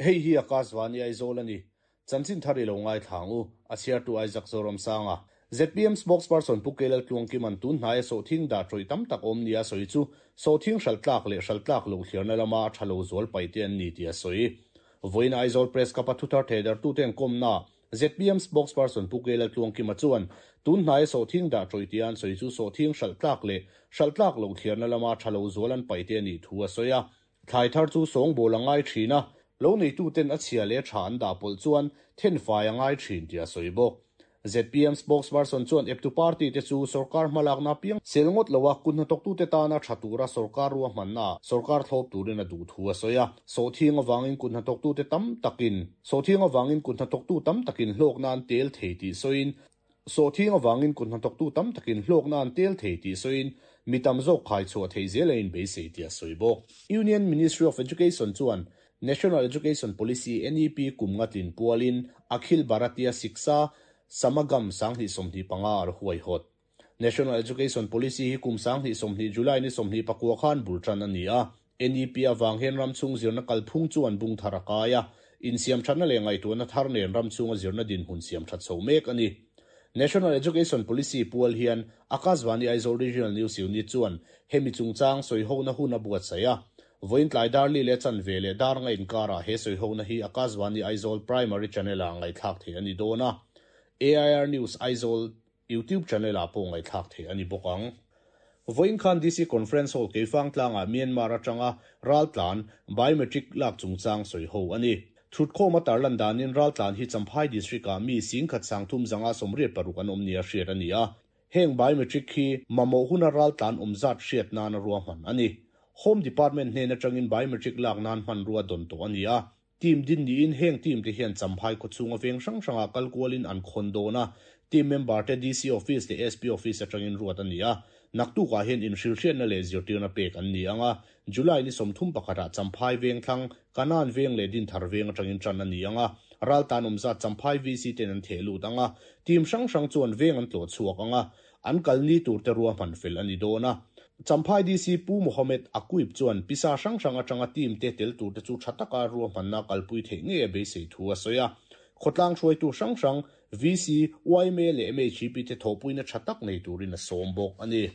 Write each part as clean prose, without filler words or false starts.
Hei hi Akashvani Aizawl a ni. Chanchin thar i lo ngaithla ang u, a chhiartu Isaac Zoramsanga. Zpm spokesperson Pu Kelal Tluangkima'n tun hnaia sawhthing dah tawih tam tak awm nia a sawi chu sawhthing hralh tlak leh hralh tlak loh thliarna lama a tha lo zual paih te an ni tih a sawi. Vawiin Aizawl Press Cup-a thuthar thehdarhtute kawmna Zpm spokesperson Pu Kelal Tluangkima chuan tun hnaia sawhthing dah tawih tia an sawi chu sawhthing hralh tlak leh hralh tlak loh thliarna lama tha lo zual an paih te a nih thu a sawi a. Thlai thar chu sawngbawl a ngai thin a, lo neituten a chhia leh tha an dah pawlh chuan thenfai a ngai thin tih a sawi bawk. Zpm spokesperson chuan eptu party te chu sorkar hmalakna apiang sel ngawt lo a, kut hnathawktute tana tha tura sorkar ruahmanna ah sorkar thlawp turin a duh thu a sawi a. Sawhthing avangin kut hnathawktute tam takin Sawhthing avangin kut hnathawktu tam takin hlawkna an tel thei tih sawiin, Sawhthing avangin kut hnathawktu tam takin hlawkna an tel thei tih sawiin mi tam zawk khai chhuah theih zel a inbeisei tih a sawi bawk. Union Ministry of Education chuan National Education Policy, NEP, kum nga tlin pualin Akhil Bharatiya Shiksha Samagam 2025 a huaihawt. National Education Policy hi kum 2020 July ni 29 khan bul tan a ni a. NEP avang hian ram chhung zirna kalphung chu an bung thar a kai a, insiam thatna leh ngaihtuahna thar nen ram chhunga zirna dinhmun siam that chho mek a ni. National Education Policy pual hian Akashvani Aizawl Regional News Unit chuan hemi chungchang sawihona hun a buatsaih a. Vawiin tlai dar li leh chanve leh dar nga inkarah he sawihona hi Akashvani Aizawl Primary Channel-ah ngaihthlak theih a ni dawn a. AIR News Aizawl YouTube channel ah pawh ngaihthlak theih a ni bawk ang. Vawiin khan DC Conference Hall Keifang tlangah Myanmar atanga raltlan biometric lak chungchang sawi ho a ni. Thutkhawm a tarlan danin raltlan hi Champhai District ah mi 10 386 an awm nia hriat a ni a. Heng biometric hi mamawh huna raltlan awm zat hriat nana ruahman a ni. Home Department hnen atangin biometric lak nan hmanrua dawn tawh a ni a. Team din niin heng team te hian Champhai khawchhunga veng hrang hrangah kal kualin an khawn dawn a, team member te DC Office leh SP Office atangin ruat a ni a. Naktukah hian inhrilhriatna leh zirtirna pek an ni ang a, July ni 31 ah Champhai veng thlang, Kanan veng leh Dinthar veng atangin tan a ni ang a, raltan awm zat Champhai VC ten an theh lut ang a, team hrang hrang chuan veng an tlawh chhuak ang a, An kal ni tur te ruahman fel a ni dawn a. Champhai DC Pu Mohammed Aquib chuan pisa hrang hrang atanga team te tel tur te chu tha taka ruahmanna kalpui theih ngei a beisei thu a sawi a. Khawtlang hruaitu hrang hrang, VC, yma leh MHEP te thawhpuina tha tak nei turin a sawm bawk a ni.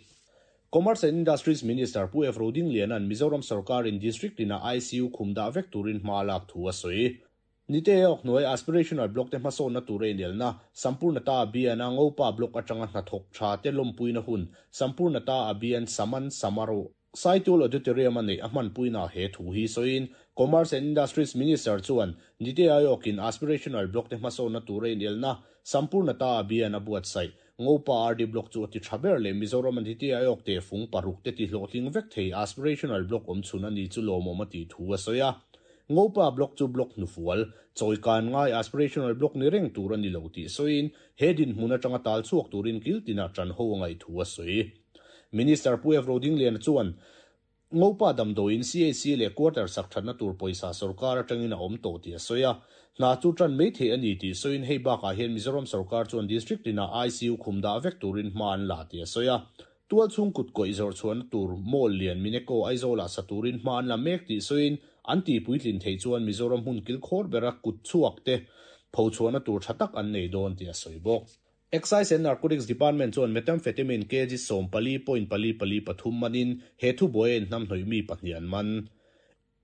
Commerce and Industries Minister Pu F Rodingliana'n Mizoram sawrkarin District tinah ICU khum dah vek turin hma a lak thu a sawi. Nite Awk hnuai Aspirational Block te hmasawnna tur a inelna, Sampurnata Abhiyan a Ngopa Block atanga hnathawk tha te lawmpuina hun, Sampurnata Abhiyan Saman Samaroh, Saitul Auditorium a neih a hmanpuina he thu hi sawiin Commerce and Industries Minister chuan Nite Aayog-in Aspirational Block te hmasawnna tur a inelna, Sampurnata Abhiyan a buatsaih, Ngopa RD Block chu a ti tha ber leh Mizoram a Nite Aayog tehfung paruk te ti hlawhtling vek thei Aspirational Block awmchhun a ni chu lawmawm a tih thu a sawi a. Ngopa Block chu block hnufual, chawikan ngai aspirational block ni reng tur a ni lo tih sawiin he dinhmun atanga tal chhuak turin kil tinah tan ho a ngaih thu a sawi. Minister Pu F Rodingliana chuan Ngopa damdawiin CHC leh quarter sak thatna tur pawisa sorkar atangin a awm tawh tih a sawi a. Hna chu tan mai theih a ni tih sawiin hei bakah hian Mizoram sorkar chuan district tinah ICU khum dah vek turin hma an la tih a sawi a. Tualchhung kut kawih zawrh chhuahna tur mall lian Mineko Aizawlah sa turin hma an la mek tih sawiin an tih puitlin theih chuan Mizoram hmun kilkhawr bera kut chhuak te pho chhuahna tur tha tak an nei dawn tih a sawi bawk. Excise and Narcotics Department chuan Methamphetamine kg 14.443 manin he thubuai a inhnamhnawih mi pahnih an man.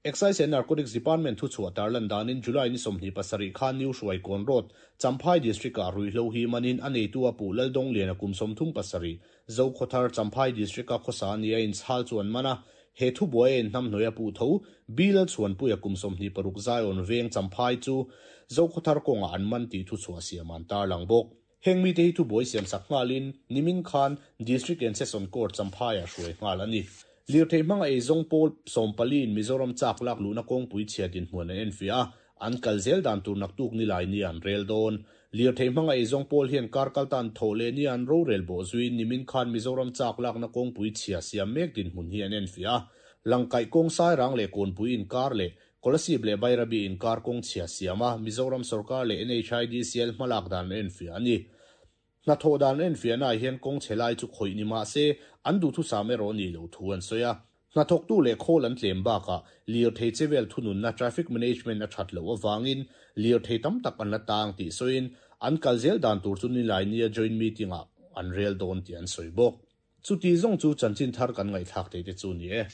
Excise and Narcotics Department thuchhuah tarlan danin July ni 27 khan New Hruaikawn Road, Champhai District-ah ruihhlo hi manin a neitu a puh Laldawng Liana kum 37, Zokhawthar, Champhai District-a khawsa nia inchhal chu an man a. He thubuai a inhnamhnawih a puh tho, B Lalchhuanpuia kum 26 Zion Veng, Champhai chu Zokhawthar kawngah an man tih thuchhuah siam an tarlang bawk. Heng mite hi thubuai siam sak nghalin nimin khan District and Session Court Champhaiah hruai nghal a ni. Lirthei hmanga eizawng pawl 14 in Mizoram chak lak luhna kawngpui chhia dinhmun an enfiah a, an kal zel dan tur naktuk nilai ni an rel dawn. Lirthei hmanga eizawng pawl hian kar kal tan thawh leh nia an rorel bawh zuiin nimin khan Mizoram chak lakna kawngpui chhia siam mek dinhmun hi an enfiah a, Langkaih kawng Sairang leh Kawnpui inkar leh Kolasib leh Bairabi inkar kawng chhia siam a, Mizoram sorkar leh NHIDCL hmalak dan an enfiah a ni. Hnathawh dan an enfiahnaah hian kawng chhe lai chu khawih ni mah se, an duhthusam erawh a nih loh thu an sawi a. Hnathawktu leh khawl an tlem bakah lirthei chevel thununna traffic management a that loh avangin lirthei tam tak an la tang tih sawiin, an kal zel dan tur chu Nilainia joint meeting-ah an rel dawn tih an sawi bawk. Chuti zawng chu chanchin thar kan ngaihthlak theih te chu ni e.